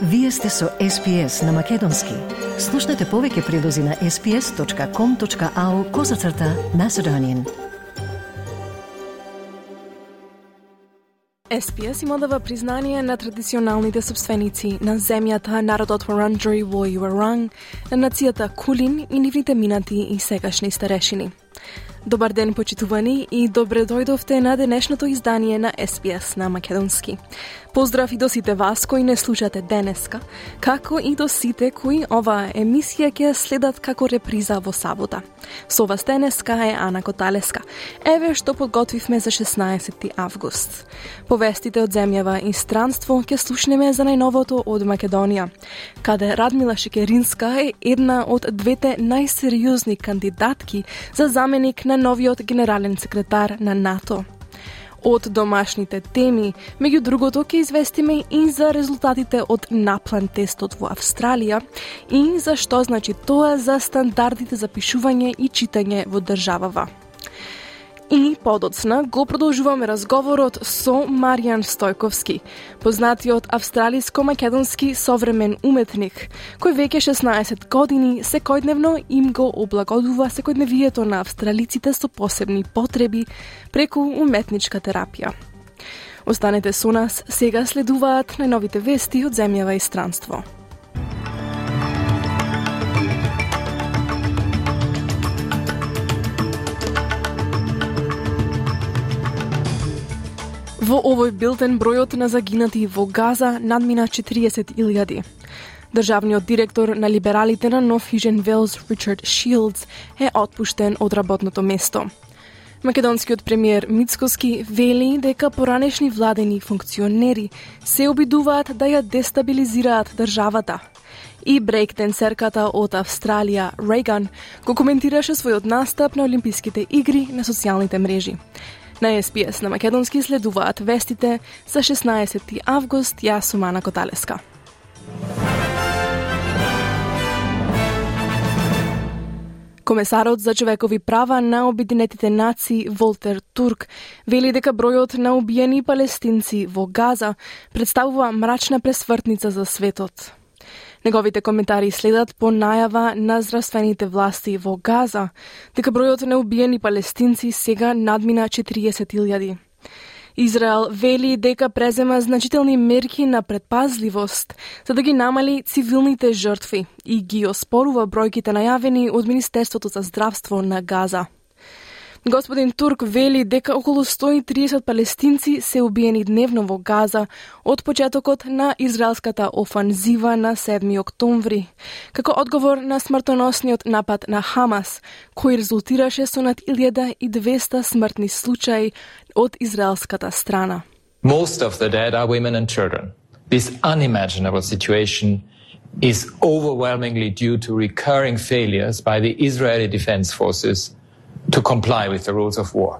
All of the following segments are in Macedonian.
Вие сте со SPS на Македонски. Слушнете повеќе прилози на sps.com.au/Macedonian. SPS има дава признание на традиционалните собственици на земјата, народот Вуранџери во Юаранг, на нацијата Кулин и нивните минати и сегашни старешини. Добар ден, почитувани, и добре дојдовте на денешното издание на SPS на Македонски. Поздрав и до сите вас кои не слушате денеска, како и до сите кои оваа емисија ќе следат како реприза во сабота. Со вас денеска е Ана Коталеска. Еве што подготвивме за 16 август. Повестите од земјава и странство ќе слушнеме за најновото од Македонија, каде Радмила Шекеринска е една од двете најсериозни кандидатки за заменик на новиот генерален секретар на НАТО. Од домашните теми, меѓу другото, ќе известиме и за резултатите од наплан тестот во Австралија и за што значи тоа за стандардите за пишување и читање во државава. И подоцна го продолжуваме разговорот со Маријан Стојковски, познатиот австралиско-македонски современ уметник, кој веќе 16 години секојдневно им го облагодува секојдневието на австралиците со посебни потреби преку уметничка терапија. Останете со нас, сега следуваат најновите вести од земјава и странство. Во овој билтен бројот на загинати во Газа надмина 40.000. Државниот директор на либералите на Нов Южен Велс, Ричард Шилдс, е отпуштен од работното место. Македонскиот премиер Мицкоски вели дека поранешни владени функционери се обидуваат да ја дестабилизираат државата. И брейк-денсерката од Австралија, Рейган, го коментираше својот настап на Олимписките игри на социјалните мрежи. На SPS на Македонски следуваат вестите за 16 август, јас сум Ана Коталеска. Комесарот за човекови права на Обединетите нации Волтер Турк вели дека бројот на убиени палестинци во Газа представува мрачна пресвртница за светот. Неговите коментари следат по најава на здравствените власти во Газа, дека бројот на убиени палестинци сега надмина 40.000. Израел вели дека презема значителни мерки на предпазливост за да ги намали цивилните жртви и ги оспорува бројките најавени од Министерството за здравство на Газа. Господин Турк вели дека околу 130 палестинци се убиени дневно во Газа од почетокот на израелската офанзива на 7 октомври, како одговор на смртоносниот напад на Хамас, кој резултираше со над 1200 смртни случаи од израелската страна. Most of the dead are women and children. This unimaginable situation is overwhelmingly due to recurring failures by the Israeli Defense Forces to comply with the rules of war.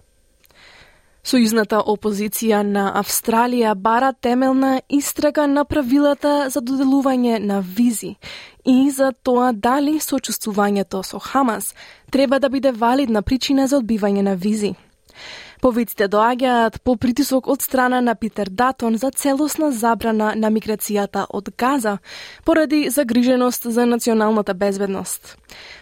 Сојузната опозиција на Австралија бара темелна истрага на правилата за доделување на визи и за тоа дали сочувствувањето со Хамас треба да биде валидна причина за одбивање на визи. Повиците доаѓаат по притисок од страна на Питер Датон за целосна забрана на миграцијата од Газа поради загриженост за националната безбедност.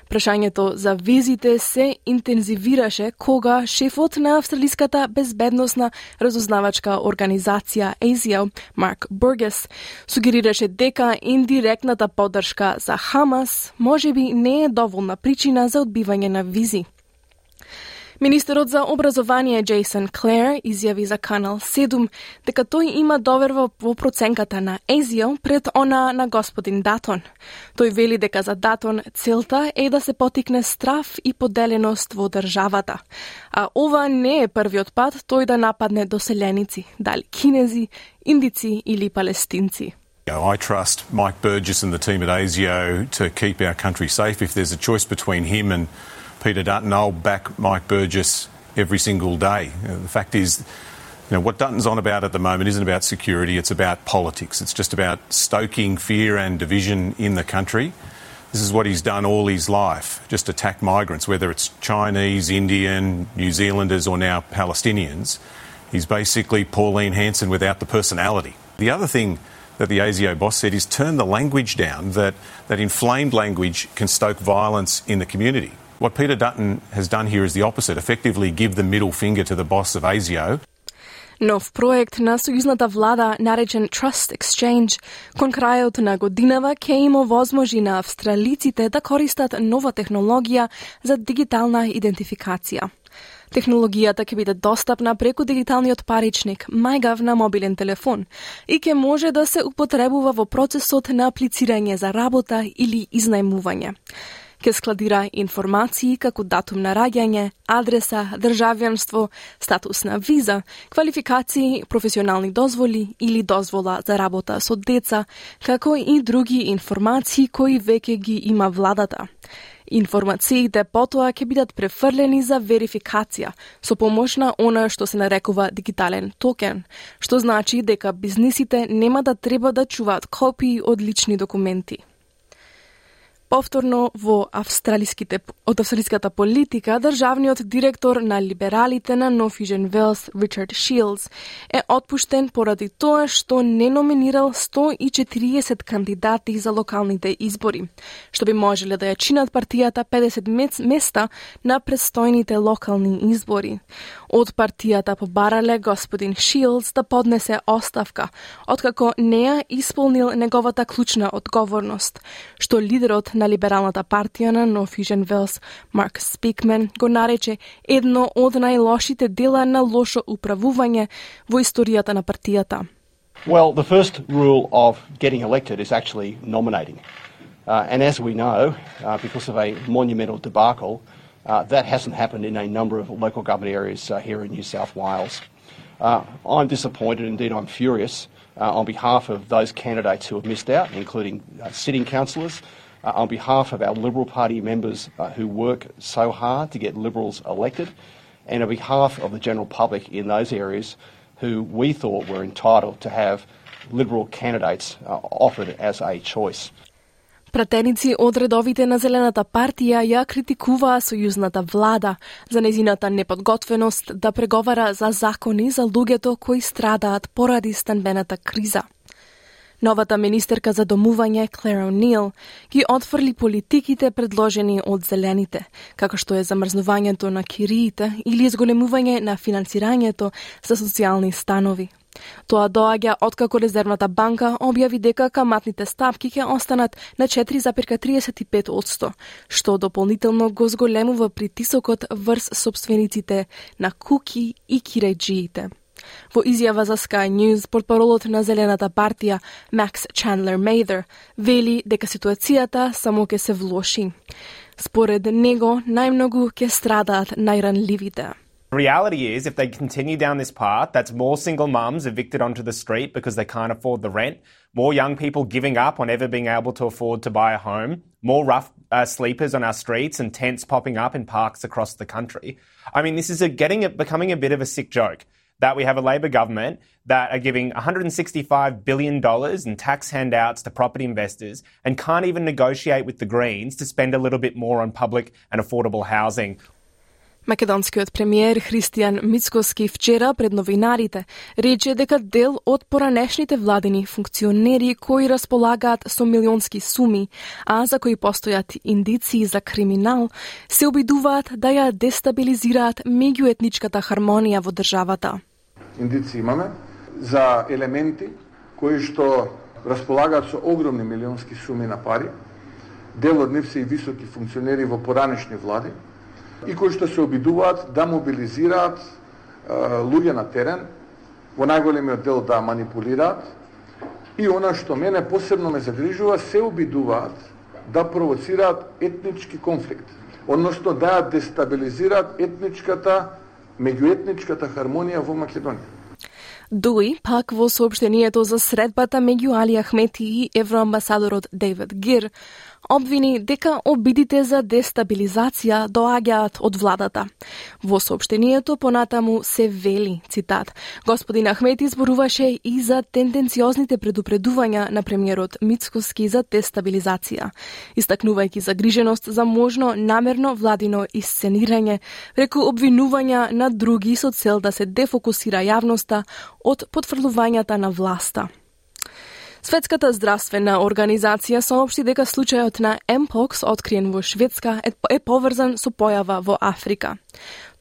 Прашањето за визите се интензивираше кога шефот на австралиската безбедносна разузнавачка организација ASIO, Марк Бургес, сугерираше дека индиректната поддршка за Хамас можеби не е доволна причина за одбивање на визи. Министерот за образование Джейсон Клер изјави за Канал 7 дека тој има доверба во проценката на ASIO пред она на господин Датон. Тој вели дека за Датон целта е да се потикне страф и поделеност во државата. А ова не е првиот пат тој да нападне доселеници, дали кинези, индици или палестинци. I trust Mike Burgess and the team at ASIO to keep our country safe. If there's a choice between him and Peter Dutton, I'll back Mike Burgess every single day. The fact is, what Dutton's on about at the moment isn't about security, it's about politics. It's just about stoking fear and division in the country. This is what he's done all his life, just attack migrants, whether it's Chinese, Indian, New Zealanders or now Palestinians. He's basically Pauline Hanson without the personality. The other thing that the ASIO boss said is turn the language down, that inflamed language can stoke violence in the community. What Peter Dutton has done here is the opposite, effectively give the middle finger to the boss of ASIO. Нов проект на сојузната влада, наречен Trust Exchange, кон крајот на годинава ќе им овозможи на австралиците да користат нова технологија за дигитална идентификација. Технологијата ќе биде достапна преку дигиталниот паричник MyGov на мобилен телефон и ќе може да се употребува во процесот на аплицирање за работа или изнајмување. Ке складира информации како датум на раѓање, адреса, државјанство, статус на виза, квалификации, професионални дозволи или дозвола за работа со деца, како и други информации кои веќе ги има владата. Информациите потоа ќе бидат префрлени за верификација со помош на она што се нарекува дигитален токен, што значи дека бизнисите нема да треба да чуваат копии од лични документи. Повторно во австралиската политика, државниот директор на либералите на North Vision Wales, Richard Shields, е отпуштен поради тоа што не номинирал 140 кандидати за локалните избори, што би можеле да ја чинат партијата 50 места на престојните локални избори. Од партијата побарале господин Shields да поднесе оставка, откако не ја исполнил неговата клучна одговорност, што лидерот на либералната партија на North Vision Wales, Mark Speakman, го нарече едно од најлошите дела на лошо управување во историјата на партијата. Well, the first rule of getting elected is actually nominating. And as we know, because of a monumental debacle, that hasn't happened in a number of local government areas here in New South Wales. I'm disappointed, indeed I'm furious, on behalf of those candidates who have missed out, including sitting councillors, on behalf of our Liberal Party members who work so hard to get Liberals elected, and on behalf of the general public in those areas who we thought were entitled to have Liberal candidates offered as a choice. Пратеници од редовите на Зелената партија ја критикуваа сојузната влада за нејзината неподготвеност да преговара за закони за луѓето кои страдаат поради станбената криза. Новата министерка за домување Claire O'Neill ги отфрли политиките предложени од зелените, како што е замрзнувањето на кириите или изголемување на финансирањето за социјални станови. Тоа доаѓа откако Резервната банка објави дека каматните стапки ќе останат на 4,35%, што дополнително го зголемува притисокот врз сопствениците на куки и кирејџиите. Во изјава за Sky News, портпаролот на Зелената партија, Max Chandler Mather, вели дека ситуацијата само ќе се влоши. Според него, најмногу ќе страдаат најранливите. The reality is, if they continue down this path, that's more single mums evicted onto the street because they can't afford the rent, more young people giving up on ever being able to afford to buy a home, more rough sleepers on our streets and tents popping up in parks across the country. I mean, this is becoming a bit of a sick joke, that we have a Labor government that are giving $165 billion in tax handouts to property investors and can't even negotiate with the Greens to spend a little bit more on public and affordable housing. Македонскиот премиер Христијан Мицкоски вчера пред новинарите рече дека дел од поранешните владини функционери кои располагаат со милионски суми, а за кои постојат индиции за криминал, се обидуваат да ја дестабилизираат меѓуетничката хармонија во државата. Индиции имаме за елементи кои што располагаат со огромни милионски суми на пари, дел од нив се и високи функционери во поранешни влади, и кои што се обидуваат да мобилизираат луѓе на терен, во најголемиот дел да манипулираат, и она што мене посебно ме загрижува, се обидуваат да провоцираат етнички конфликт, односно да ја дестабилизираат меѓуетничката хармонија во Македонија. Дуи, пак во соопштението за средбата меѓу Али Ахмети и евроамбасадорот Дейвид Гир, обвини дека обидите за дестабилизација доаѓаат од владата. Во соопштението понатаму се вели, цитат, господин Ахмети зборуваше и за тенденциозните предупредувања на премиерот Мицкоски за дестабилизација, истакнувајќи загриженост за можно намерно владино исценирање преку обвинувања на други со цел да се дефокусира јавноста од потврлувањата на власта. Светската здравствена организација соопшти дека случајот на Mpox откриен во Шведска е поврзан со појава во Африка.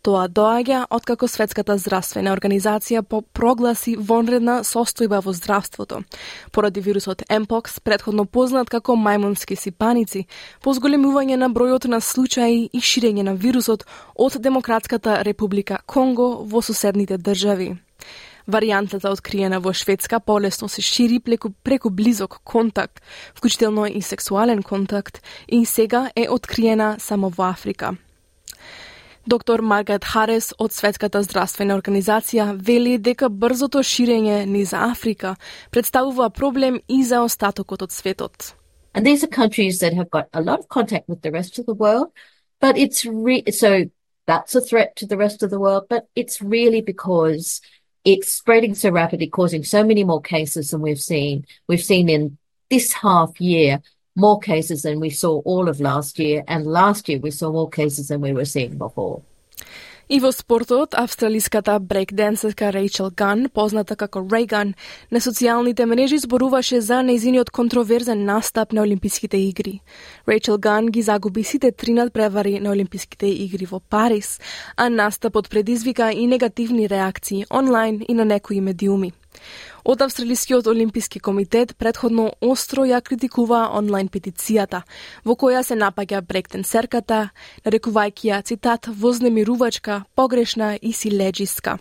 Тоа доаѓа откако Светската здравствена организација прогласи вонредна состојба во здравството, поради вирусот Mpox, претходно познат како мајмунски сипаници, по зголемување на бројот на случаи и ширење на вирусот од Демократската република Конго во соседните држави. Варијантата откриена во Шведска полесно се шири преку близок контакт, вклучително и сексуален контакт, и сега е откриена само во Африка. Доктор Маргарет Харес од Светската здравствена организација вели дека брзото ширење низ Африка представува проблем и за остатокот од светот. And these are countries that have got a lot of contact with the rest of the world, but so that's a threat to the rest of the world, but it's really because it's spreading so rapidly, causing so many more cases than we've seen. We've seen in this half year more cases than we saw all of last year, and last year we saw more cases than we were seeing before. И во спортот, австралиската брейкденсерка Рейчел Ган, позната како Рейган, на социјалните мрежи зборуваше за нејзиниот контроверзен настап на Олимписките игри. Рейчел Ган ги загуби сите 3 надпревари на Олимписките игри во Париз, а настапот предизвика и негативни реакции онлайн и на некои медиуми. Од Австралискиот олимписки комитет претходно остро ја критикува онлайн петицијата, во која се напаѓа брейкденсерката, нарекувајќи ја, цитат, вознемирувачка, погрешна и силеџиска.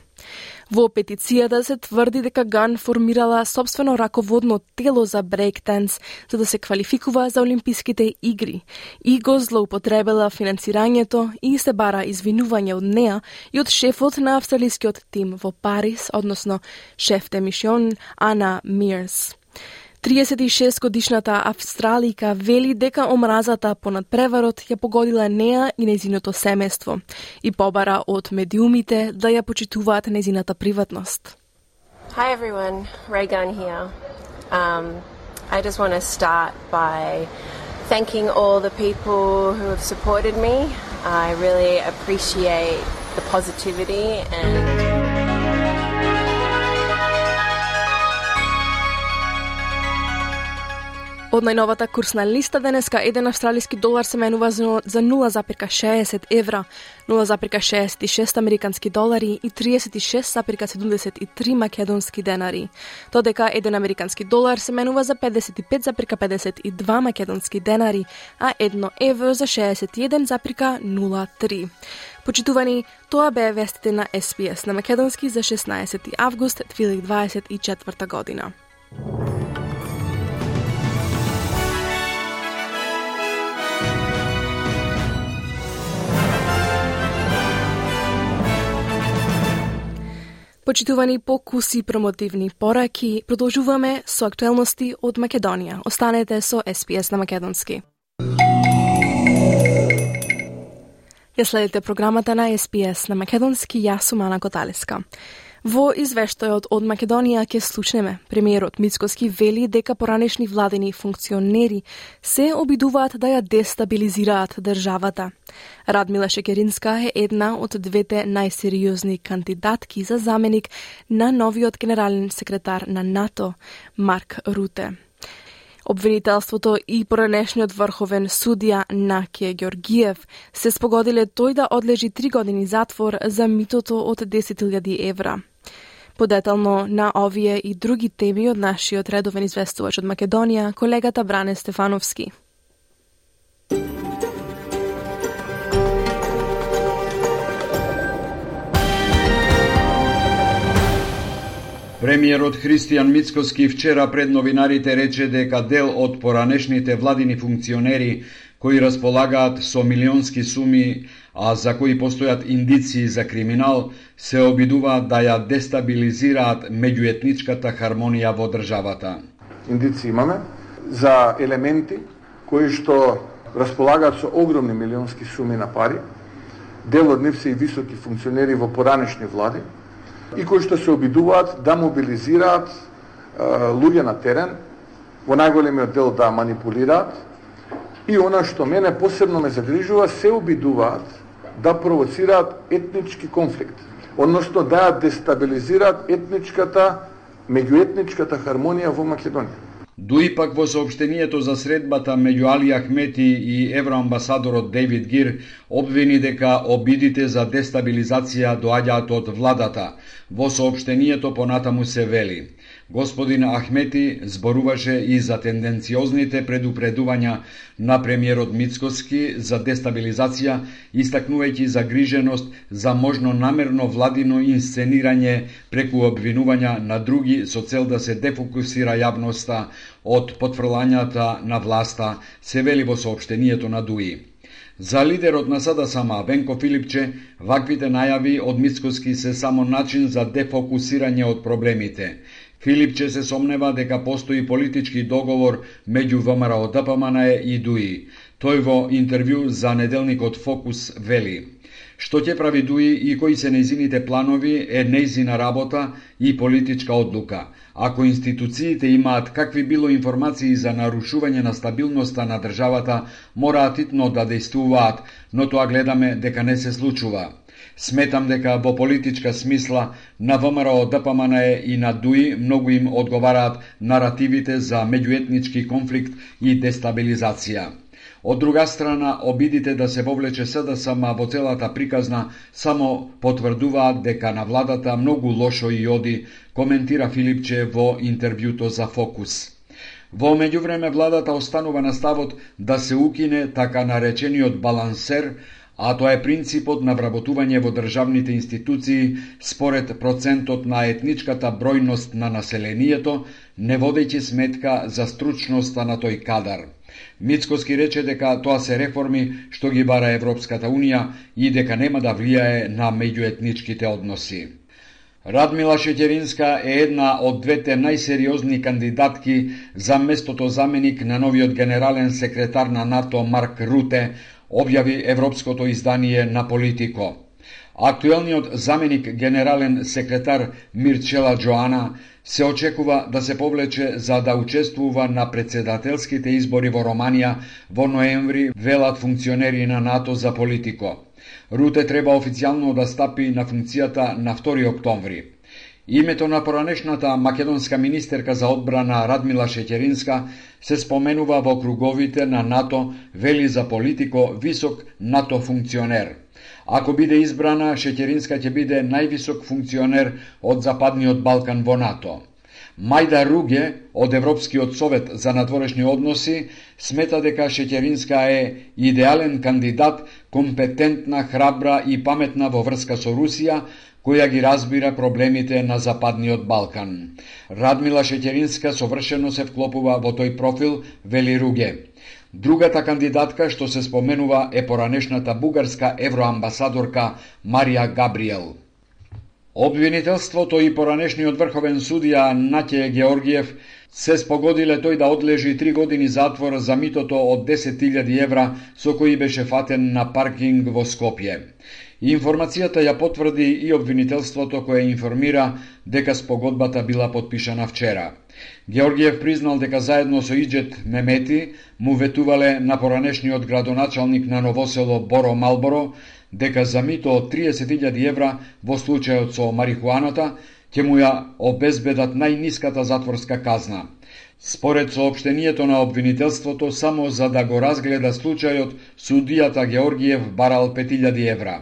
Во петицијата се тврди дека Ган формирала собствено раководно тело за брейкденс за да се квалификува за Олимписките игри и го злоупотребила финансирањето и се бара извинување од неа и од шефот на австралискиот тим во Париз, односно шеф де мисион Ана Мирс. 36-годишната австралика вели дека омразата по надпреварот ја погодила неа и нејзиното семејство и побара од медиумите да ја почитуваат нејзината приватност. Hi everyone, Raygun here. I just want to start by thanking all the people who have supported me. I really appreciate the positivity and Од најновата курсна листа денеска, 1 австралиски долар се менува за 0,60 евра, 0,66 американски долари и 36,73 македонски денари. Додека 1 американски долар се менува за 55,52 македонски денари, а 1 евро за 61,03. Почитувани, тоа беа вестите на SPS на македонски за 16 август 2024 година. Почитувани по куси промотивни пораки, продолжуваме со актуелности од Македонија. Останете со SPS на македонски. Ја следите програмата на SPS на македонски, јас сум Ана Коталеска. Во извештајот од Македонија ќе слушнеме премиерот Мицкоски вели дека поранешни владени функционери се обидуваат да ја дестабилизираат државата. Радмила Шекеринска е една од двете најсериозни кандидатки за заменик на новиот генерален секретар на НАТО, Марк Руте. Обвинителството и поранешниот врховен судија Накије Ѓоргиев се спогодиле тој да одлежи 3 години затвор за митото од 10.000 евра. Подетално на овие и други теми од нашиот редовен известувач од Македонија, колегата Бране Стефановски. Премиерот Христијан Мицкоски вчера пред новинарите рече дека дел од поранешните владини функционери кои располагаат со милионски суми, а за кои постојат индиции за криминал, се обидуваат да ја дестабилизираат меѓуетничката хармонија во државата. Индиции имаме за елементи кои што располагаат со огромни милионски суми на пари, дел од нив се и високи функционери во поранешни влади, и кои што се обидуваат да мобилизираат луѓе на терен, во најголемиот дел да манипулираат, и она што мене посебно ме загрижува, се обидуваат да провоцираат етнички конфликт, односно да ја дестабилизираат меѓуетничката хармонија во Македонија. Дуи пак во соопштението за средбата меѓу Али Ахмети и евроамбасадорот Дейвид Гир обвини дека обидите за дестабилизација доаѓаат од владата. Во соопштението понатаму се вели: господин Ахмети зборуваше и за тенденциозните предупредувања на премиерот Мицкоски за дестабилизација, истакнувајќи загриженост за можно намерно владино инсценирање преку обвинувања на други со цел да се дефокусира јавноста од потфрлањата на власта, се вели во соопштението на ДУИ. За лидерот на СДСМ Венко Филипче, ваквите најави од Мицкоски се само начин за дефокусирање од проблемите. Филипче се сомнева дека постои политички договор меѓу ВМРО ДПМН и ДУИ. Тој во интервју за неделникот Фокус вели: што ќе прави ДУИ и кои се нејзините планови е нејзина работа и политичка одлука. Ако институциите имаат какви било информации за нарушување на стабилноста на државата, мораат итно да действуваат, но тоа гледаме дека не се случува. Сметам дека во политичка смисла на ВМРО ДПМН и на ДУИ многу им одговараат наративите за меѓуетнички конфликт и дестабилизација. Од друга страна, обидите да се вовлече СДСМ во целата приказна само потврдуваат дека на владата многу лошо и оди, коментира Филипче во интервјуто за Фокус. Во меѓувреме владата останува на ставот да се укине така наречениот балансер, а тоа е принципот на вработување во државните институции според процентот на етничката бројност на населението, не водејќи сметка за стручноста на тој кадар. Мицкоски рече дека тоа се реформи што ги бара Европската Унија и дека нема да влијае на меѓуетничките односи. Радмила Шеќеринска е една од двете најсериозни кандидатки за местото заменик на новиот генерален секретар на НАТО Марк Руте, објави европското издание на Политико. Актуелниот заменик генерален секретар Мирчела Джоана се очекува да се повлече за да учествува на председателските избори во Романија во ноември, велат функционери на НАТО за Политико. Руте треба официјално да стапи на функцијата на 2 октомври. Името на поранешната македонска министерка за одбрана Радмила Шеќеринска се споменува во круговите на НАТО, вели за Политико висок НАТО функционер. Ако биде избрана, Шеќеринска ќе биде највисок функционер од Западниот Балкан во НАТО. Мајда Руге од Европскиот совет за надворешни односи смета дека Шеќеринска е идеален кандидат, компетентна, храбра и паметна во врска со Русија, која ги разбира проблемите на Западниот Балкан. Радмила Шеќеринска совршено се вклопува во тој профил, вели Руге. Другата кандидатка што се споменува е поранешната бугарска евроамбасадорка Марија Габриел. Обвинителството и поранешниот врховен судија Наќе Георгиев се спогодиле тој да одлежи 3 години затвор за митото од 10.000 евра со кои беше фатен на паркинг во Скопје. Информацијата ја потврди и обвинителството кое информира дека спогодбата била потпишана вчера. Георгиев признал дека заедно со Иџет Мемети му ветувале на поранешниот градоначалник на Новосело Боро Малборо дека за мито од 30.000 евра во случајот со марихуаната ќе му ја обезбедат најниската затворска казна. Според соопштението на обвинителството, само за да го разгледа случајот, судијата Георгиев барал 5.000 евра.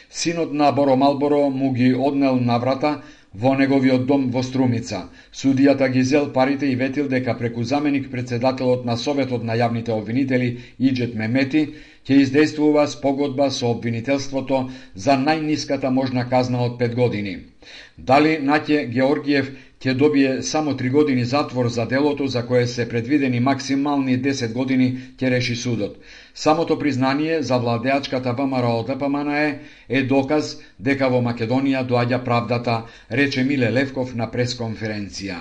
Синот на Боро Малборо му ги однел наврата во неговиот дом во Струмица. Судијата ги зел парите и ветил дека преку заменик председателот на Советот на јавните обвинители Иџет Мемети ќе издействува спогодба со обвинителството за најниската можна казна од 5 години. Дали Наќе Георгиев ќе добие само 3 години затвор за делото за кое се предвидени максимални 10 години, ќе реши судот. Самото признание за владеачката ВМРО ДПМН е доказ дека во Македонија доаѓа правдата, рече Миле Левков на пресконференција.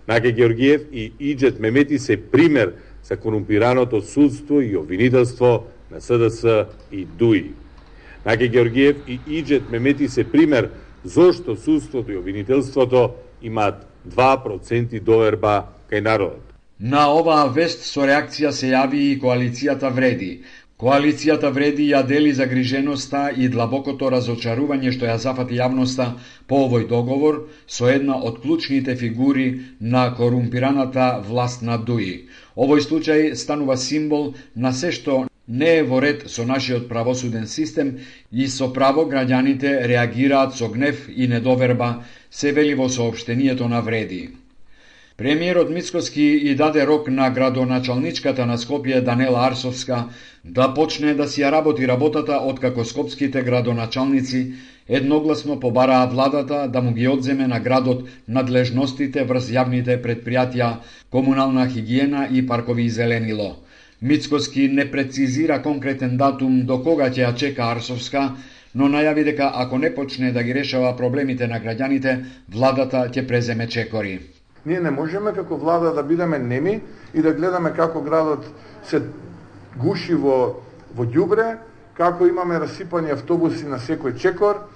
Наќе Георгиев и Иџет Мемети се пример за корумпираното судство и обвинителство на СДС и ДУИ. Наќе Георгиев и Иџет Мемети се пример зошто судството и обвинителството имаат 2% доверба кај народот. На оваа вест со реакција се јави и коалицијата Вреди. Коалицијата вреди ја дели загриженоста и длабокото разочарување што ја зафати јавноста по овој договор со една од клучните фигури на корумпираната власт на ДУИ. Овој случај станува символ на се што не е во ред со нашиот правосуден систем и со право граѓаните реагираат со гнев и недоверба, се вели во соопштението на вреди. Премиерот Мицкоски и даде рок на градоначалничката на Скопје Данела Арсовска да почне да си ја работи работата откако скопските градоначалници едногласно побараа владата да му ги одземе на градот надлежностите врз јавните предпријатија, комунална хигиена и паркови и зеленило. Мицкоски не прецизира конкретен датум до кога ќе ја чека Арсовска, но најави дека ако не почне да ги решава проблемите на граѓаните, владата ќе преземе чекори. Ние не можеме како влада да бидеме неми и да гледаме како градот се гуши во ѓубре, како имаме расипани автобуси на секој чекор,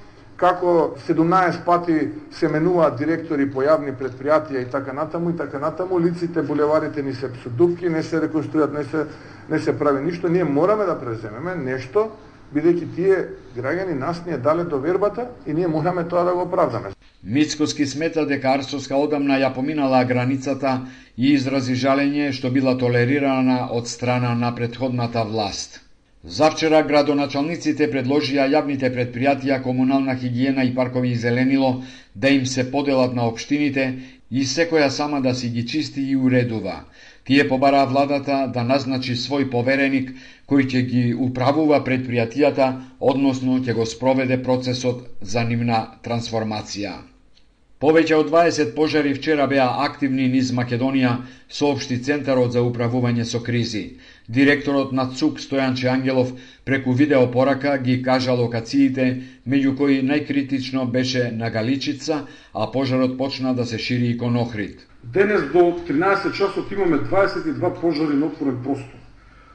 како 17 пати се менуваат директори по јавни предпријатија и така натаму, лиците, булеварите ни се псудупки, не се реконструират, не се прави ништо. Ние мораме да преземеме нешто, бидејќи тие граѓани нас ни дале довербата и ние мораме тоа да го оправдаме. Мицкоски смета дека Арсовска одамна ја поминала границата и изрази жалење што била толерирана од страна на претходната власт. Завчера градоначалниците предложија јавните предпријатија, комунална хигиена и паркови и зеленило да им се поделат на општините и секоја сама да си ги чисти и уредува. Тие побараа владата да назначи свој повереник кој ќе ги управува предпријатијата, односно ќе го спроведе процесот за нивна трансформација. Повеќе од 20 пожари вчера беа активни низ Македонија, соопшти Центарот за управување со кризи. Директорот на ЦУК Стојанче Ангелов преку видеопорака ги кажа локациите, меѓу кои најкритично беше на Галичица, а пожарот почна да се шири и кон Охрид. Денес до 13 часот имаме 22 пожари на отворен простор.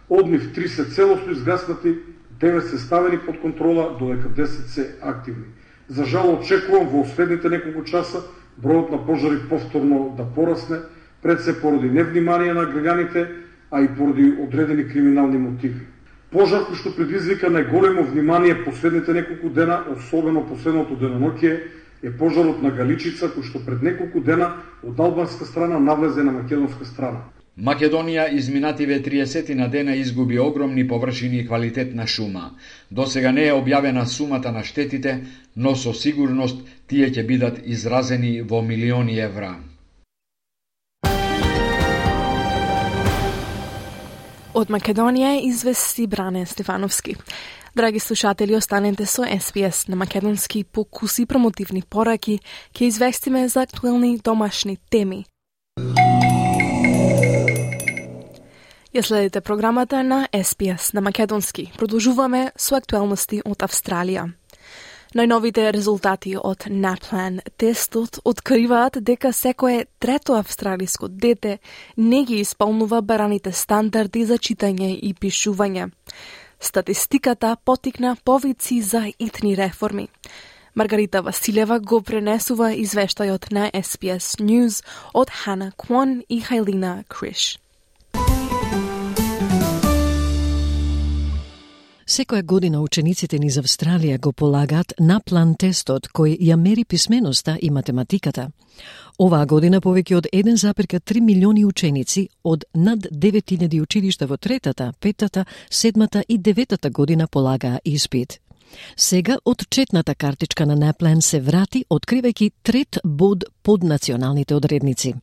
Од нив 3 се целосно изгаснати, 9 се ставени под контрола, додека 10 се активни. За жал очекувам во следните неколку часа бројот на пожари повторно да порасне, пред се поради невнимание на граѓаните, а и поради одредени криминални мотиви. Пожар кој што предизвика најголемо внимание последните неколку дена, особено последното деноноќие, е пожарот на Галичица, кој што пред неколку дена од албанска страна навлезе на македонска страна. Македонија изминативе 30 на дена изгуби огромни површини и квалитет на шума. Досега не е објавена сумата на штетите, но со сигурност тие ќе бидат изразени во милиони евра. Од Македонија извести Бране Стефановски. Драги слушатели, останете со СПС на македонски по куси промотивни пораки, ќе известиме за актуелни домашни теми. Ја следите програмата на СПС на македонски. Продолжуваме со актуелности од Австралија. Најновите резултати од NAPLAN тестот откриваат дека секое трето австралиско дете не ги исполнува бараните стандарди за читање и пишување. Статистиката потикна повици за итни реформи. Маргарита Василева го пренесува извештајот на SBS News од Хана Квон и Хайлина Криш. Секоја година учениците низ Австралија го полагаат NAPLAN тестот кој ја мери писменоста и математиката. Оваа година повеќе од 1,3 милиони ученици од над 9000 училишта во третата, петата, седмата и деветата година полагаа испит. Сега отчетната картичка на NAPLAN се врати, откривајќи трет бод под националните одредници.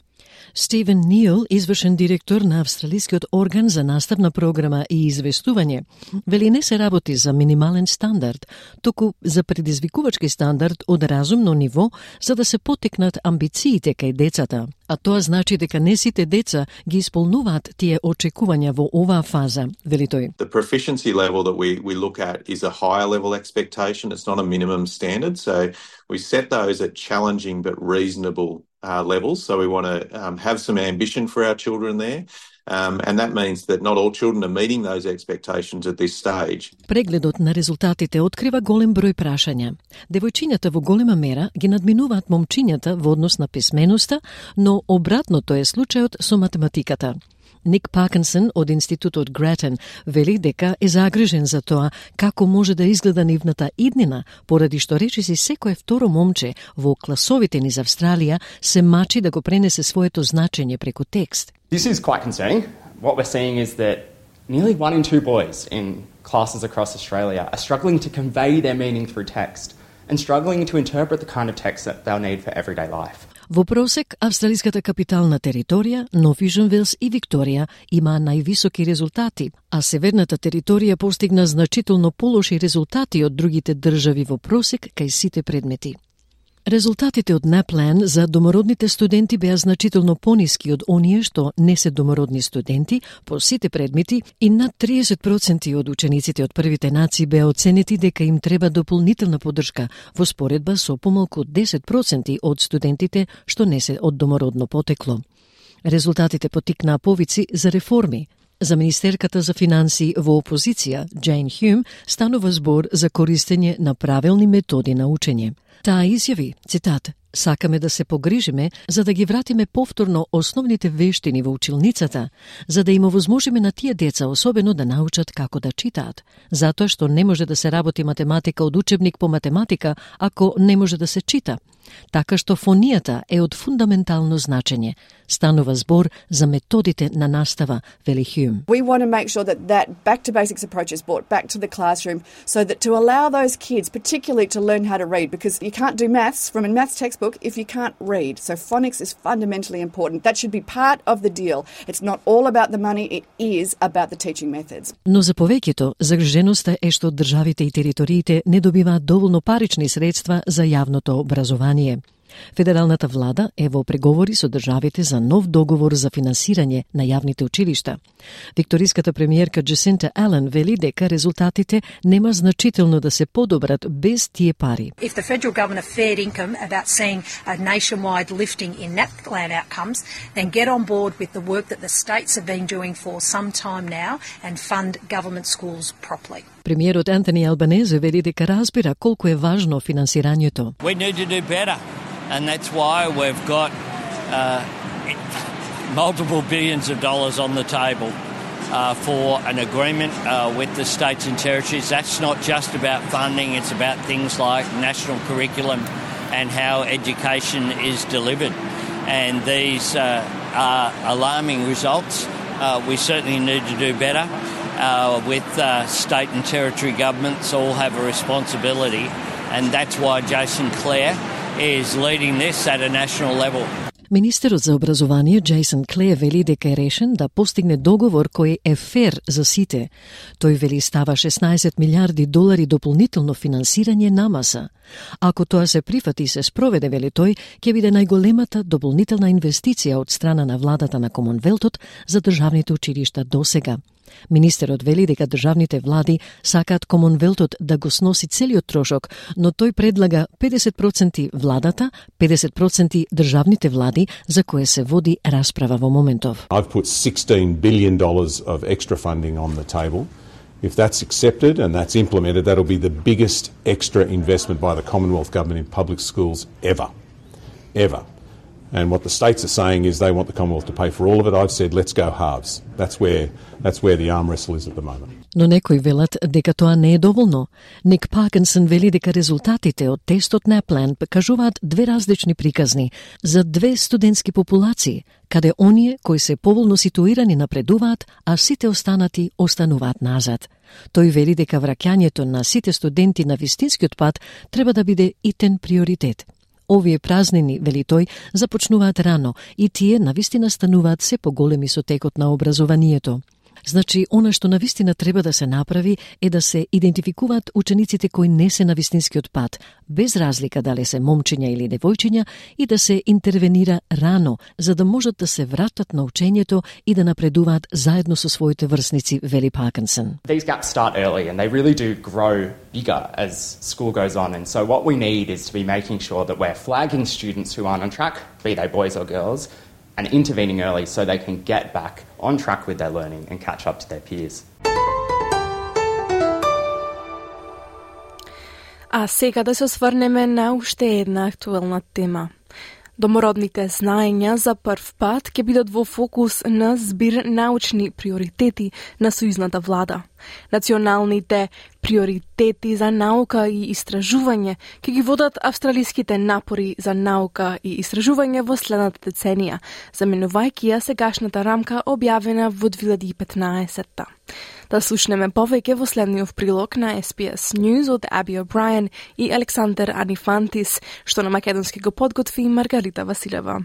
Стивен Нил, извршен директор на австралискиот орган за наставна програма и известување, вели не се работи за минимален стандард, туку за предизвикувачки стандард од разумно ниво за да се потекнат амбициите кај децата. А тоа значи дека не сите деца ги исполнуваат тие очекувања во оваа фаза, вели тој. The proficiency level that we look at is a higher level expectation. It's not a minimum standard. So we set those at challenging but reasonable levels. So we want to have some ambition for our children there. And that means that not all children are meeting those expectations at this stage. Прегледот на резултатите открива голем број прашања. Девојчињата во голема мера ги надминуваат момчињата во однос на писменоста, но обратното е случајот со математиката. Ник Паркинсон од Институтот Гратен вели дека е загрижен за тоа како може да изгледа нивната иднина, поради што речиси секое второ момче во класовите низ Австралија се мачи да го пренесе своето значење преку текст. This is quite concerning. What we're seeing is that nearly 1 in 2 boys in classes across Australia are struggling to convey their meaning through text and struggling to interpret the kind of text that they'll need for everyday life. Во просек, австралиската капитална територија, Нов Јужен Велс и Викторија има највисоки резултати, а северната територија постигна значително полоши резултати од другите држави во просек кај сите предмети. Резултатите од NAPLAN за домородните студенти беа значително пониски од оние што не се домородни студенти по сите предмети и над 30% од учениците од првите нации беа оценети дека им треба дополнителна поддршка во споредба со помалку од 10% од студентите што не се од домородно потекло. Резултатите потикнаа повици за реформи. За министерката за финансии во опозиција, Джейн Хюм, станува збор за користење на правилни методи на учење. Таа изјави, цитат, "Сакаме да се погрижиме за да ги вратиме повторно основните вештини во училницата, за да им овозможиме на тие деца особено да научат како да читаат, затоа што не може да се работи математика од учебник по математика ако не може да се чита. Така што фонијата е од фундаментално значење. Станува збор за методите на настава, вели Хюм. We want to make sure that back to basics approach is brought back to the classroom so that to allow those kids particularly to learn how to read, because you can't do maths from a maths textbook if you can't read. So phonics is fundamentally important. That should be part of the deal. It's not all about the money, it is about the teaching methods. Но за повеќето, загриженоста е што државите и териториите не добиваат доволно парични средства за јавното образование. Федералната влада е во преговори со државите за нов договор за финансирање на јавните училишта. Викториската премиерка Джасинта Ален вели дека резултатите нема значително да се подобрат без тие пари. If the federal government are fair income about seeing a nationwide lifting in NAPLAN outcomes, then get on board with the work that the states have been doing for some time now and fund government schools properly. Премиерот Антони Албанезе вели дека разбира колку е важно финансирањето. We need to do better. And that's why we've got multiple billions of dollars on the table for an agreement with the states and territories. That's not just about funding, it's about things like national curriculum and how education is delivered. And these are alarming results. We certainly need to do better. With state and territory governments all have a responsibility, and that's why Jason Clare is leading this at a national level. Министерот за образование Джейсон Клеј вели дека е решен да постигне договор кој е фер за сите. Тој вели става $16 милиарди дополнително финансирање намаса. Ако тоа се прифати и се спроведе, вели тој, ќе биде најголемата дополнителна инвестиција од страна на владата на Комонвелтот за државните училишта досега. Министерот вели дека државните влади сакаат Комонвелтот да го сноси целиот трошок, но тој предлага 50% владата, 50% државните влади, за кое се води расправа во моментов. I've put $16 billion of extra funding on the table. If that's accepted and that's implemented, that'll be the biggest extra investment by the Commonwealth Government in public schools ever. Ever. And what the states are saying is they want the Commonwealth to pay for all of it. I've said, let's go halves. That's where the arm wrestle is at the moment. Но некои велат дека тоа не е доволно. Ник Паркинсон вели дека резултатите од тестот NAPLAN покажуваат две различни приказни за две студентски популации, каде оние кои се поволно ситуирани напредуваат, а сите останати остануваат назад. Тој вели дека враќањето на сите студенти на вистинскиот пат треба да биде итен приоритет. Овие празнини, вели тој, започнуваат рано и тие навистина стануваат се поголеми со текот на образованието. Значи, она што навистина треба да се направи е да се идентификуваат учениците кои не се на вистинскиот пат, без разлика дали се момчиња или девојчиња, и да се интервенира рано, за да можат да се вратат на учењето и да напредуваат заедно со своите врсници, вели Паркинсон. These gaps start early and they really do grow bigger as school goes on, and so what we need is to be making sure that we're flagging students who aren't on track, be they boys or girls, and intervening early so they can get back on track with their learning and catch up to their peers. А сега да се осврнеме на уште една актуелна тема. Домородните знаења за прв пат ќе бидат во фокус на збир научни приоритети на сојузната влада. Националните приоритети за наука и истражување ќе ги водат австралиските напори за наука и истражување во следната деценија, заменувајќи ја сегашната рамка објавена во 2015. Да слушнеме повеќе во следниот прилог на SBS News од Аби О'Брајен и Александър Анифантис, што на македонски го подготви Маргарита Василева.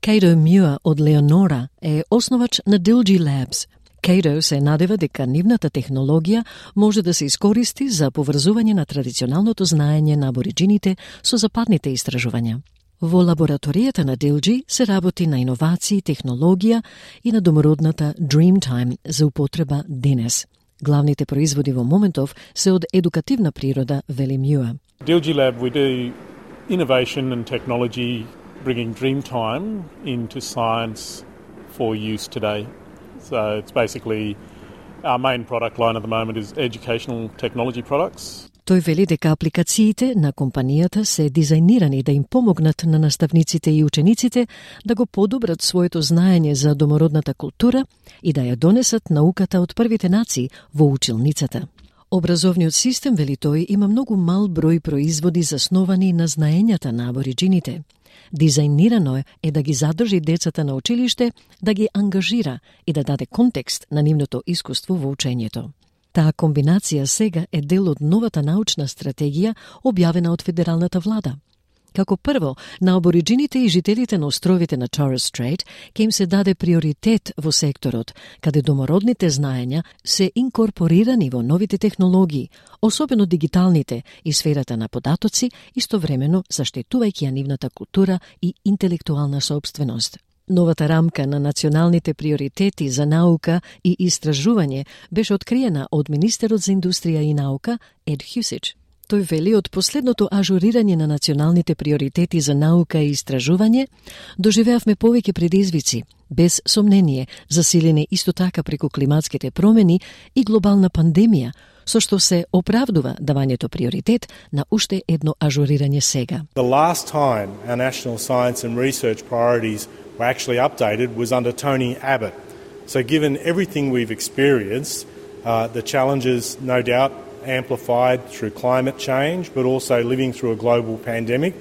Cato Muir од Леонора е основач на Dilgy Labs. Cato се надева дека нивната технологија може да се искористи за поврзување на традиционалното знаење на абориджините со западните истражувања. Во лабораторијата на Dilgy се работи на иновации, технологија и на домородната Dreamtime за употреба денес. Главните производи во моментов се од едукативна природа, вели Muir. Dilgy Lab, we do innovation and technology bringing Dreamtime into science for use today. So it's basically our main product line at the moment is educational technology products. Тој вели дека апликациите на компанијата се дизајнирани да им помогнат на наставниците и учениците да го подобрат своето знаење за домородната култура и да ја донесат науката од првите нации во училницата. Образовниот систем, вели тој, има многу мал број производи засновани на знаењата на абориджините. Дизајнирано е да ги задржи децата на училиште, да ги ангажира и да даде контекст на нивното искуство во учењето. Таа комбинација сега е дел од новата научна стратегија објавена од федералната влада. Како прво, на абориджините и жителите на островите на Torres Strait ќе им се даде приоритет во секторот, каде домородните знаења се инкорпорирани во новите технологии, особено дигиталните и сферата на податоци, истовремено заштитувајќи ја нивната култура и интелектуална собственост. Новата рамка на националните приоритети за наука и истражување беше откриена од министерот за индустрија и наука Ed Husic. Тој вели од последното ажурирање на националните приоритети за наука и истражување доживеавме повеќе предизвици, без сомнение, засилени исто така преку климатските промени и глобална пандемија, со што се оправдува давањето приоритет на уште едно ажурирање сега. The last time our national science and research priorities were actually updated was under Tony Abbott. So given everything we've experienced, the challenges no doubt amplified through climate change, but also living through a global pandemic,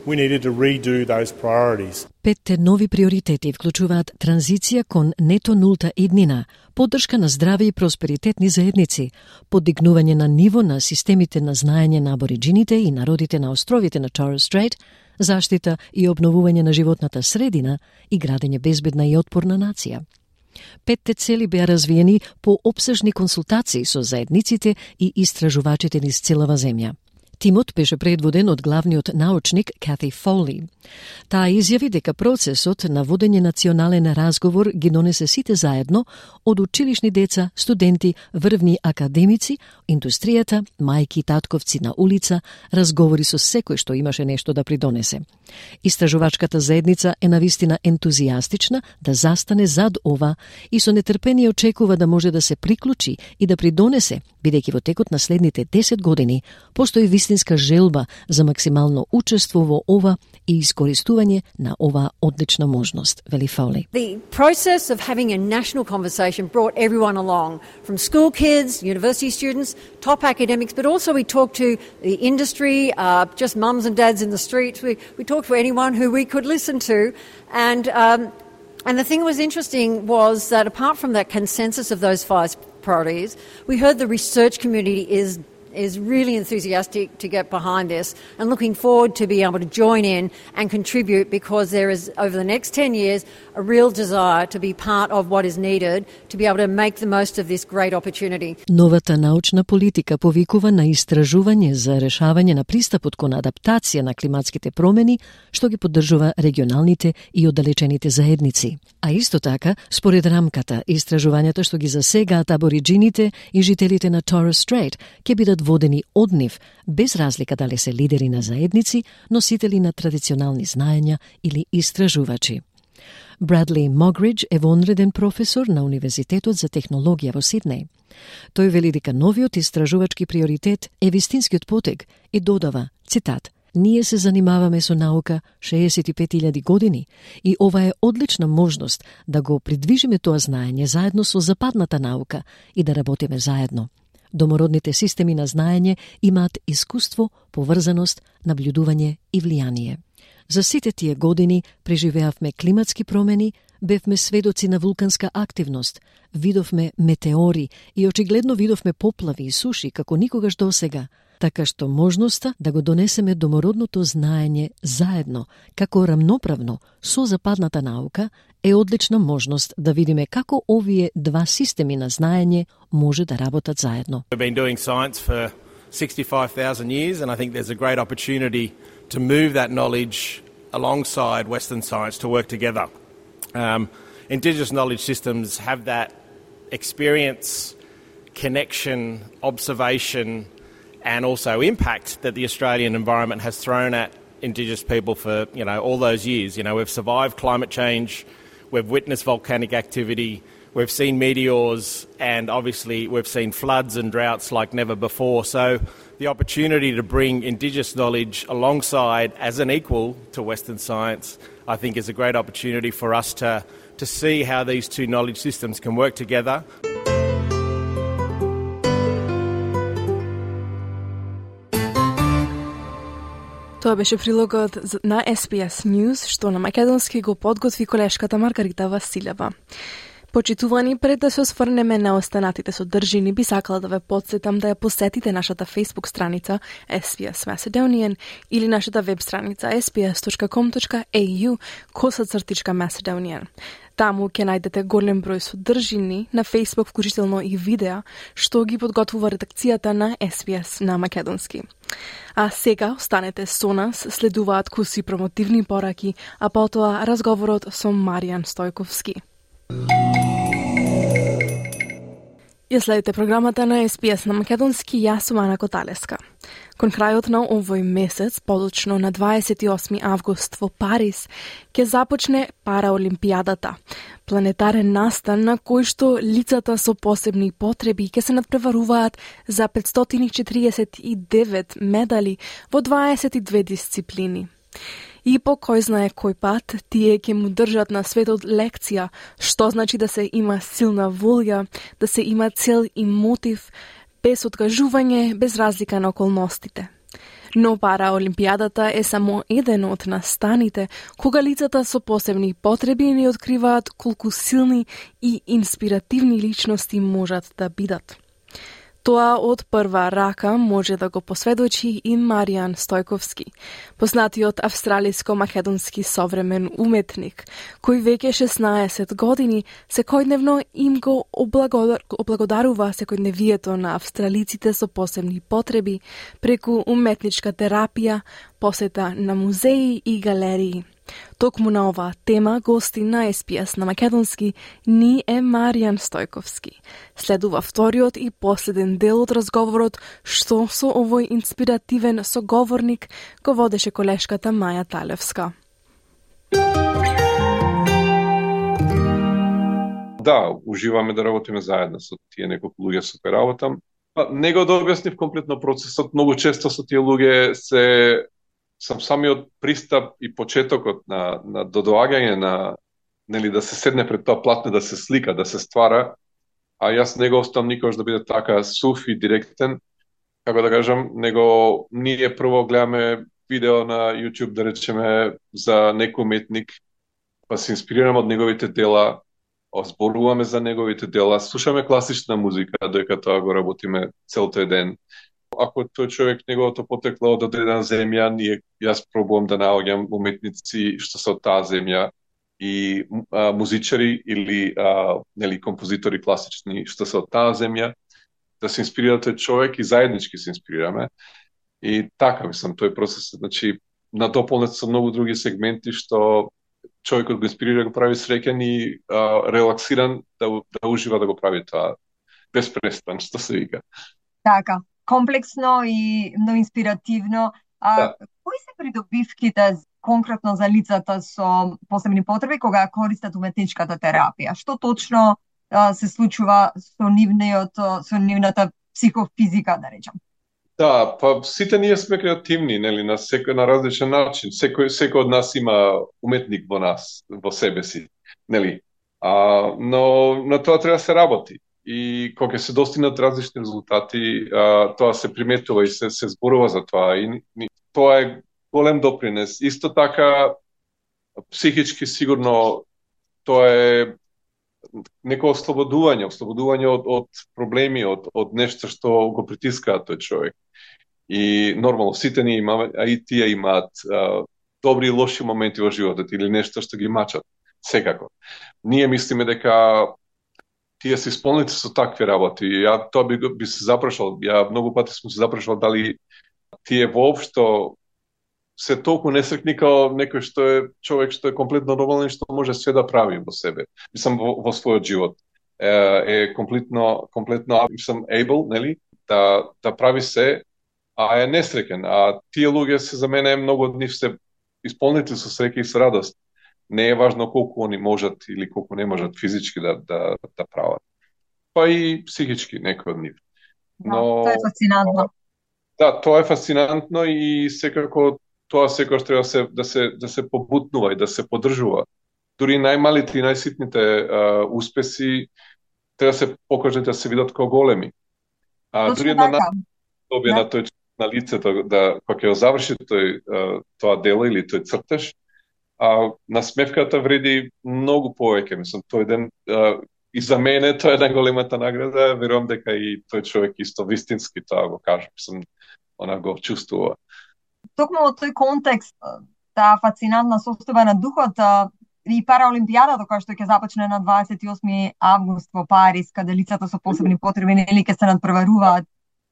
we needed to redo those priorities. Петте нови приоритети вклучуваат транзиција кон нето нулта иднина, поддршка на здрави и просперитетни заедници, подигнување на ниво на системите на знаење на абориджините и народите на островите на Torres Strait, заштита и обновување на животната средина и градење безбедна и отпорна нација. Петте цели беа развиени по опсежни консултации со заедниците и истражувачите низ целава земја. Тимот беше предводен од главниот научник Кати Фоли. Таа изјави дека процесот на водење национален разговор ги донесе сите заедно, од училишни деца, студенти, врвни академици, индустријата, мајки и татковци на улица, разговори со секој што имаше нешто да придонесе. Истражувачката заедница е навистина ентузијастична да застане зад ова и со нетрпение очекува да може да се приклучи и да придонесе, бидејќи во текот на следните 10 години постои вистинска желба за максимално учество во ова и искористување на оваа одлична можност, вели Фоли. The process of having a national conversation brought everyone along, from school kids, university students, top academics, but also we talked to the industry, just mums and dads in the streets. We talked to anyone who we could listen to, and the thing that was interesting was that apart from that consensus of those 5 priorities, we heard the research community is really enthusiastic to get behind this and looking forward to be able to join in and contribute, because there is, over the next 10 years, a real desire to be part of what is needed to be able to make the most of this great opportunity. Новата научна политика повикува на истражување за решавање на пристапот кон адаптација на климатските промени, што ги поддржува регионалните и оддалечените заедници. А исто така, според рамката, истражувањата што ги засегаат абориджините и жителите на Torres Strait ќе бидат водени од нив, без разлика дали се лидери на заедници, носители на традиционални знаења или истражувачи. Bradley Mogridge е вонреден професор на Универзитетот за технологија во Сиднеј. Тој вели дека новиот истражувачки приоритет е вистинскиот потек и додава, цитат, "Ние се занимаваме со наука 65.000 години и ова е одлична можност да го придвижиме тоа знаење заедно со западната наука и да работиме заедно. Домородните системи на знаење имаат искуство, поврзаност, наблюдување и влијание. За сите тие години преживеавме климатски промени, бевме сведоци на вулканска активност, видовме метеори и очигледно видовме поплави и суши како никогаш досега, така што можноста да го донесеме домородното знаење заедно, како рамноправно со западната наука, е одлична можност да видиме како овие два системи на знаење може да работат заедно. We've been doing science for 65,000 years and I think there's a great opportunity to move that knowledge alongside Western science to work together. Indigenous knowledge systems have that experience, connection, observation, and also impact that the Australian environment has thrown at Indigenous people for, all those years. We've survived climate change, we've witnessed volcanic activity, we've seen meteors, and obviously we've seen floods and droughts like never before. So the opportunity to bring Indigenous knowledge alongside as an equal to Western science, I think is a great opportunity for us to see how these two knowledge systems can work together. Тоа беше прилогот на SBS News, што на македонски го подготви колешката Маргарита Василева. Почитувани, пред да се осврнеме на останатите содржини, би сакала да ве потсетам да ја посетите нашата Facebook страница SBS Macedonian или нашата веб страница sbs.com.au/Macedonian. Таму ќе најдете голем број содржини на Facebook, вклучително и видеа, што ги подготвува редакцијата на SBS на македонски. А сега останете со нас, следуваат куси промотивни пораки, а потоа разговорот со Маријан Стојковски. Ја следите програмата на SBS на македонски, јас сум Ана Коталеска. Кон крајот на овој месец, подочно на 28 август во Париз, ќе започне Параолимпијадата, планетарен настан на кој што лицата со посебни потреби ќе се надпреваруваат за 549 медали во 22 дисциплини. И по кој знае кој пат, тие ќе му држат на светот лекција, што значи да се има силна волја, да се има цел и мотив, без откажување, без разлика на околностите. Но Параолимпијадата е само еден од настаните кога лицата со посебни потреби ни откриваат колку силни и инспиративни личности можат да бидат. Тоа од прва рака може да го посведочи и Маријан Стојковски, познатиот австралиско-македонски современ уметник, кој веќе 16 години секојдневно им го облагодарува секојдневието на австралиците со посебни потреби преку уметничка терапија, посета на музеи и галерии. Токму на оваа тема гости на SBS на македонски ни е Маријан Стојковски. Следува вториот и последен дел од разговорот што со овој инспиративен соговорник го водеше колешката Маја Талевска. Да, уживаме да работиме заедно со тие неколку луѓе со кои работам. Не го објаснив комплетно процесот, многу често со тие луѓе сам самиот пристап и почетокот на додоаѓање на да се седне пред тоа платно, да се слика, да се ствара, а јас не го оставам никогаш да биде така сув и директен, како да кажам, него ние прво гледаме видео на YouTube, да речеме, за некој уметник, па се инспирираме од неговите дела, зборуваме за неговите дела, слушаме класична музика, додека тоа го работиме целој ден. Ако тој човек неговото потекло од одредена земја, јас пробувам да наоѓам уметници што се од таа земја и музичари или композитори класични што се од таа земја, да се инспирира тој човек и заеднички се инспирираме. И така, мислам, тој процес значи надополнет со многу други сегменти што човекот го инспирира, го прави среќен и релаксиран да ужива да го прави тоа без престан, што се вика. Така, комплексно и многу инспиративно. Да. Кои се придобивките конкретно за лицата со посебни потреби кога користат уметничката терапија? Што точно се случува со нивната психофизика, да речам? Да, па сите ние сме креативни, нели, на секој на различен начин. Секој од нас има уметник во нас, во себе си, нели. Но на тоа треба да се работи. И кога се достигнат различни резултати, тоа се приметува и се зборува за тоа. И тоа е голем допринес. Исто така, психички сигурно, тоа е некој ослободување од проблеми, од нешто што го притискаат тој човек. И нормално, сите ние имаме, а и тие имаат добри и лоши моменти во животот или нешто што ги мачат. Секако. Ние мислиме дека тие се исполнети со такви работи. Ја тоа би се запрашал. Ја многу пати сум се запрашал дали тие воопшто се толку несрекни као некој што е човек што е комплетно нормален и што може све да прави во себе. Мислам во својот живот. Е комплетно мислам able, нели, да прави се, а е несреќен. А тие луѓе се за мене многу од нив се исполнети со среќа и со радост. Не е важно колку они можат или колку не можат физички да прават. Па и психички некој од нив. Но тоа е фасцинантно. Да, тоа е фасцинантно и секако тоа секогаш треба да се побутнува и да се поддржува. Дури најмалите и најситните успеси треба да се покажат да се видат како големи. Дури на добија на тој на лицето да кога ќе заврши тоа дело или тој цртеж, насмевката вреди многу повеќе. Мислам, тој ден и за мене тоа е најголемата награда. Верувам дека и тој човек исто вистински тоа го каже. Мислам, она го чувствува. Токму во тој контекст, таа фасцинантна состојба на духот и Параолимпијадата која што ќе започне на 28 август во Париз, каде лицата со посебни потреби нели ќе се надпреваруваат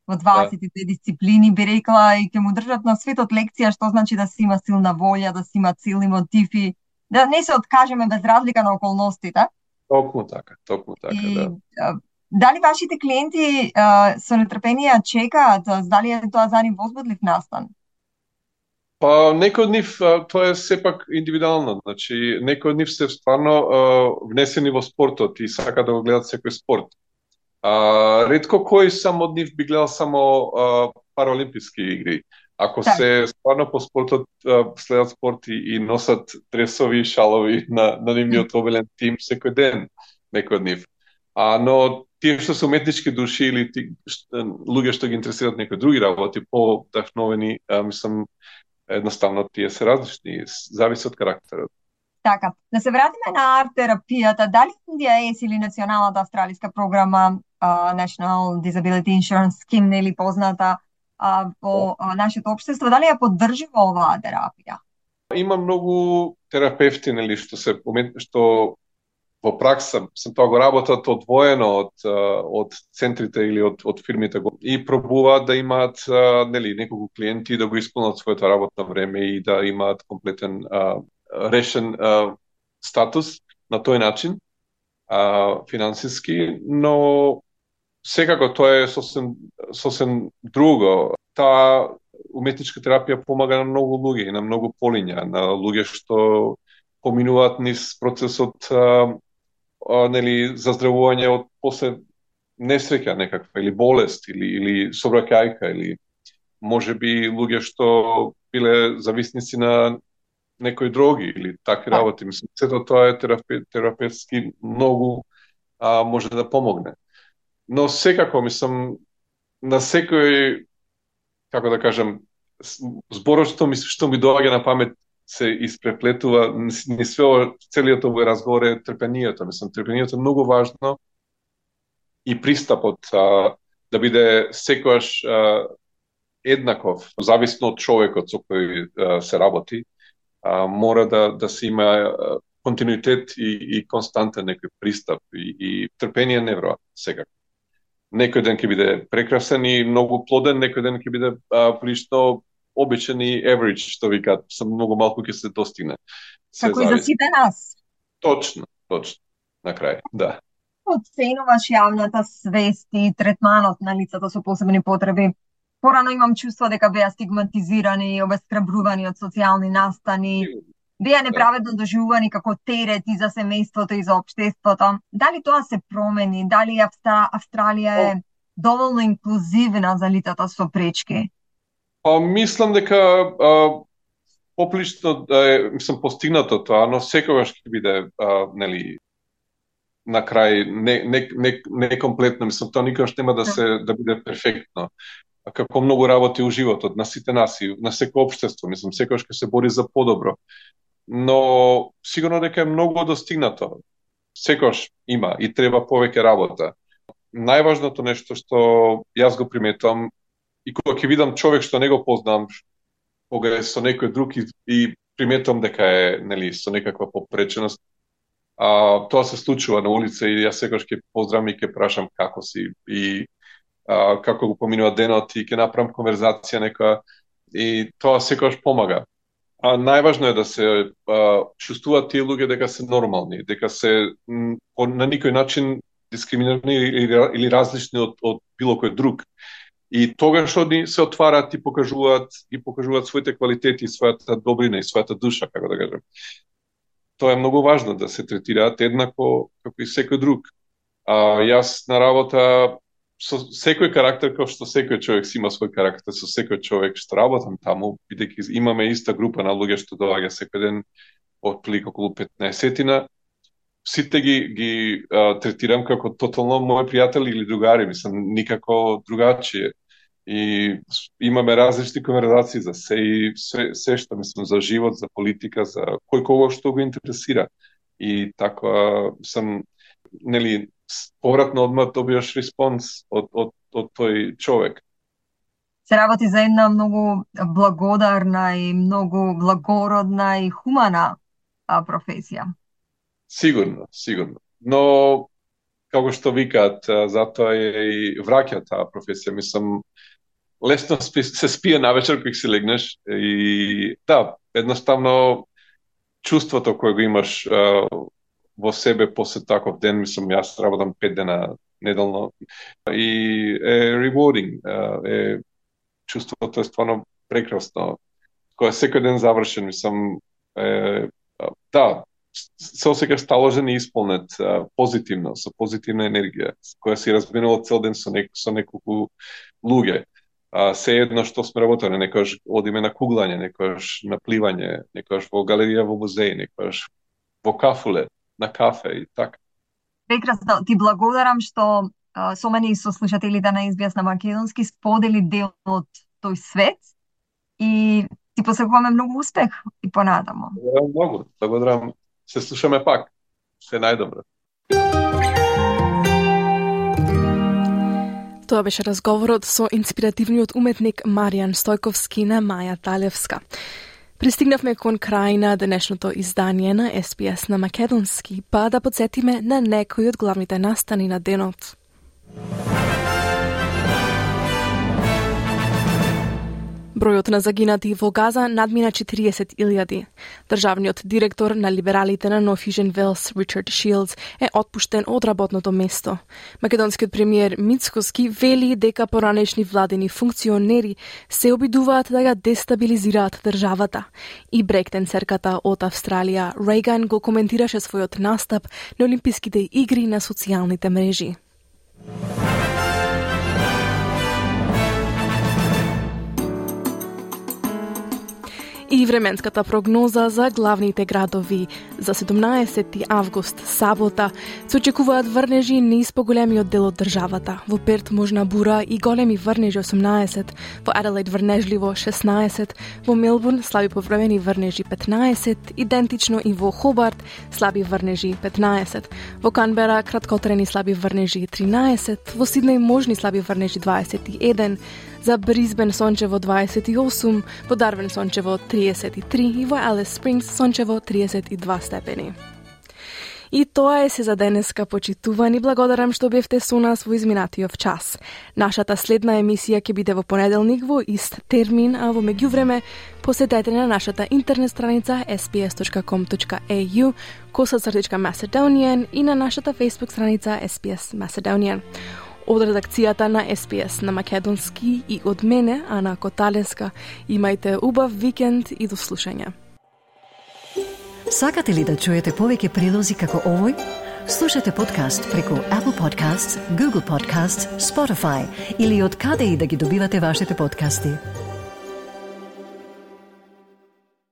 во 22 дисциплини, би рекла, и ќе му држат на светот лекција што значи да се има силна волја, да се има силни мотиви, да не се откажеме без разлика на околностите. Токму така, да. Дали вашите клиенти со нетрпение чекаат, дали е тоа за нив возбудлив настан? Па некои од нив тоа е сепак индивидуално, значи некои од нив се стварно внесени во спортот и сака да го гледат секој спорт. Ретко кој сам од нив би гледал само параолимписки игри. Ако се стварно по спортот следат спорт и носат дресови и шалови на нивниот обелен тим секој ден, некој од нив. Но тие што се уметнички души или луѓе што ги интересираат некои други работи, по-вдахновени, мислам, едноставно тие се различни, зависи од карактерот. Така, да се вратиме на арт-терапијата. Дали NDIS или националната австралиска програма National Disability Insurance Scheme, нели позната во нашето општество, дали ја поддржува оваа терапија? Има многу терапевти, нели, што во пракса тоа го работат одвоено од центрите или од фирмите и пробуваат да имаат нели неколку клиенти да го исполнат своето работно време и да имаат комплетен решен статус на тој начин финансиски, но секако тоа е сосем друго. Таа уметничка терапија помага на многу луѓе и на многу полиња, на луѓе што поминуваат низ процесот нели заздравување од после несреќа некаква или болест или собраќајка или можеби луѓе што биле зависници на некои дроги или такви работи. Мислам, сето тоа е терапевтски многу може да помогне. Но секако, мислам, на секој, како да кажам, зборот што ми доаѓа на памет се испреплетува, ни целиот овој разговор е трпението. Мислам, трпението е многу важно и пристапот да биде секојаш еднаков, зависно од човекот со кој се работи, мора да се има континуитет и константен некој пристап и трпение невроа секако. Некој ден ќе биде прекрасен и многу плоден, некој ден ќе биде прилично обичен и average, што викаат, многу малку ќе се достигне. Како и за сите нас. Точно, на крај, да. Оценуваш јавната свест и третманот на лицата со посебни потреби порано имам чувство дека беа стигматизирани, обесхрабрувани од социјални настани, беа неправедно доживувани како терети за семејството и за општеството. Дали тоа се промени? Дали Австралија е доволно инклузивна за лицата со пречки? Мислам дека поприлично мислам постигнато тоа, но секогаш ќе биде нели на крај не комплетно, мислам тоа никогаш нема да биде перфектно. Како многу работи у животот на сите нас и на секој општество, мислам секогаш ќе се бори за подобро. Но сигурно дека е многу достигнато. Секогаш има и треба повеќе работа. Најважното нешто што јас го приметувам и кога ќе видам човек што не го познам, кога е со некој друг и приметувам дека е нели со некаква попреченост, тоа се случува на улица и јас секогаш ќе поздравам и ќе прашам како си и како го поминува денот и ќе направам конверзација некоја и тоа секогаш помага. Најважно е да се чувствуваат тие луѓе дека се нормални, дека се на никој начин дискриминирани или различни од било кој друг. И тогаш они се отварат и покажуваат своите квалитети, својата добрина и својата душа, како да кажем. Тоа е многу важно да се третираат еднакво како и секој друг. Јас на работа со секој карактер, како што секој човек си има свој карактер, со секој човек што работам таму, бидејќи имаме иста група на луѓе што доаѓа секој ден отприлика околу 15-тина, сите ги третирам како тотално мои пријатели или другари, мислам никако другачие. И имаме различни конверзации за се што мислам за живот, за политика, за кој кого што го интересира. И така сам нели повратно одма добиваш респонс од тој човек. Се работи за една многу благодарна и многу благородна и хумана професија. Сигурно. Но како што викаат, затоа и враќа таа професија. Мислам, лесно се спие навечер кога си легнеш и да, едноставно чувството кое го имаш во себе после таков ден, мислам, јас работам 5 дена неделно и е rewarding, чувството е стварно прекрасно. Кога секој ден завршен, мислам, да, се осеќаш сталожен и исполнет позитивно, со позитивна енергија, која си разменувал цел ден со неколку луѓе. Се едно што сме работеле, некојаш одиме на куглање, некојаш на пливање, некојаш во галерија во музеј, некојаш во кафуле, на кафе и така. Прекрасно, ти благодарам што со мене и со слушателите на SBS на македонски сподели дел од тој свет и ти посакуваме многу успех и понатамо. Благодарам. Се слушаме пак. Се најдобро. Тоа беше разговорот со инспиративниот уметник Маријан Стојковски на Маја Талевска. Пристигнавме кон крај на денешното издание на SBS на македонски, па да подсетиме на некои од главните настани на денот. Бројот на загинати во Газа надмина 40.000. Државниот директор на либералите на North Wales, Richard Shields, е отпуштен од работното место. Македонскиот премиер Мицкоски вели дека поранешни владени функционери се обидуваат да ја дестабилизираат државата. И брейктенсерката од Австралија, Рейган, го коментираше својот настап на Олимписките игри на социјалните мрежи. И временската прогноза за главните градови за 17 август, сабота, се очекуваат врнежи низ поголемиот дел од државата. Во Перт можна бура и големи врнежи 18, во Аделаид врнежливо 16, во Мелбурн слаби повремени врнежи 15, идентично и во Хобарт слаби врнежи 15, во Канбера краткотрени слаби врнежи 13, во Сиднеј можни слаби врнежи 21, за Брисбен сончево 28, во Дарвин сончево 33 и во Алис Спрингс сончево 32 степени. И тоа е се за денеска, почитувани. Благодарам што бевте со нас во изминатиот час. Нашата следна емисија ќе биде во понеделник во ист термин, а во меѓувреме посетете на нашата интернет страница sbs.com.au /Macedonian и на нашата Facebook страница SBS Macedonian. Од редакцијата на SPS на македонски и од мене, Ана Коталеска, имајте убав викенд и до слушање. Сакате ли да чуете повеќе прилози како овој? Слушате подкаст преку Apple Podcasts, Google Podcasts, Spotify или од каде и да ги добивате вашите подкасти.